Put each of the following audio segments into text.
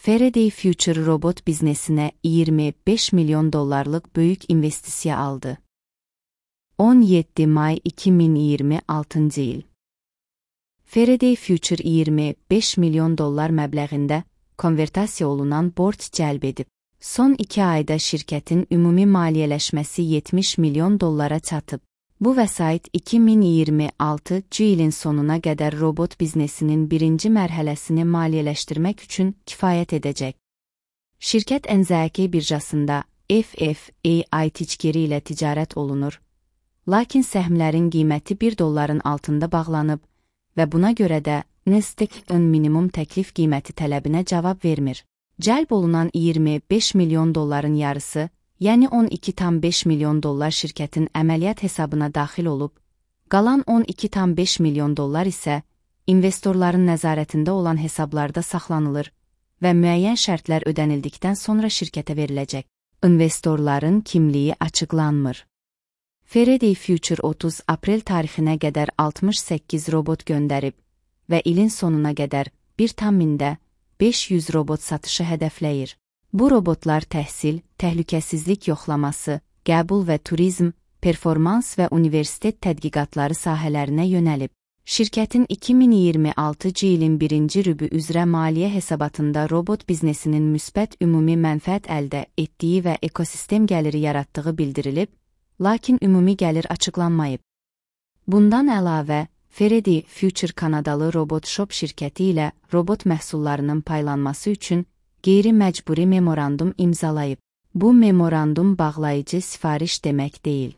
Faraday Future robot biznesinə 25 milyon dollarlıq böyük investisiya aldı. 17 may 2026 il. Faraday Future 25 milyon dollar məbləğində konvertasiya olunan borc cəlb edib. Son 2 ayda şirkətin ümumi maliyyələşməsi 70 milyon dollara çatıb. Bu vəsait 2026 ilin sonuna qədər robot biznesinin birinci mərhələsini maliyyələşdirmək üçün kifayət edəcək. Şirkət NZK birjasında FFAI tickeri ilə ticarət olunur, lakin səhmlərin qiyməti $1 altında bağlanıb və buna görə də Nasdaq-ın minimum təklif qiyməti tələbinə cavab vermir. Cəlb olunan 25 milyon dolların yarısı, yəni 12,5 milyon dollar şirkətin əməliyyat hesabına daxil olub, qalan 12,5 milyon dollar isə investorların nəzarətində olan hesablarda saxlanılır və müəyyən şərtlər ödənildikdən sonra şirkətə veriləcək. İnvestorların kimliyi açıqlanmır. Faraday Future 30 aprel tarixinə qədər 68 robot göndərib və ilin sonuna qədər 1,500 robot satışı hədəfləyir. Bu robotlar təhsil, təhlükəsizlik yoxlaması, qəbul və turizm, performans və universitet tədqiqatları sahələrinə yönəlib. Şirkətin 2026 ilin birinci rübü üzrə maliyyə hesabatında robot biznesinin müsbət ümumi mənfəət əldə etdiyi və ekosistem gəliri yaratdığı bildirilib, lakin ümumi gəlir açıqlanmayıb. Bundan əlavə, Faraday Future Kanadalı Robot Shop şirkəti ilə robot məhsullarının paylanması üçün qeyri-məcburi memorandum imzalayıb. Bu memorandum bağlayıcı sifariş demək deyil.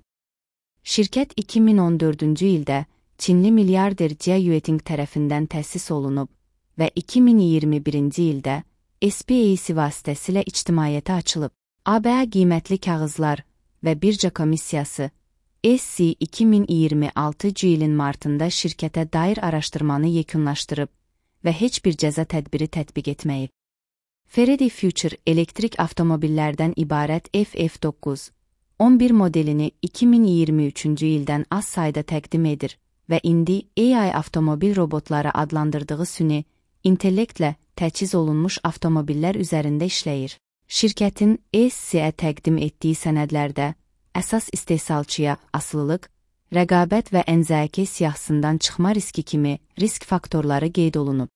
Şirkət 2014-cü ildə Çinli milyarder Jia Yueting tərəfindən təsis olunub və 2021-ci ildə SPAC vasitəsilə ictimaiyyətə açılıb. ABA qiymətli kağızlar və birja komissiyası SC 2026 ilin martında şirkətə dair araşdırmanı yekunlaşdırıb və heç bir cəza tədbiri tətbiq etməyib. Faraday Future elektrik avtomobillərdən ibarət FF9 11 modelini 2023-cü ildən az sayda təqdim edir və indi AI avtomobil robotları adlandırdığı süni intellektlə təchiz olunmuş avtomobillər üzərində işləyir. Şirkətin SC-ə təqdim etdiyi sənədlərdə əsas istehsalçıya asılılıq, rəqabət və NZK siyahısından çıxma riski kimi risk faktorları qeyd olunub.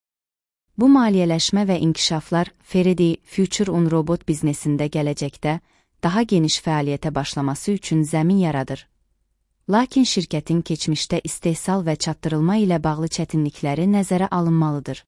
Bu maliyyələşmə və inkişaflar Faraday Future-un robot biznesində gələcəkdə daha geniş fəaliyyətə başlaması üçün zəmin yaradır. Lakin şirkətin keçmişdə istehsal və çatdırılma ilə bağlı çətinlikləri nəzərə alınmalıdır.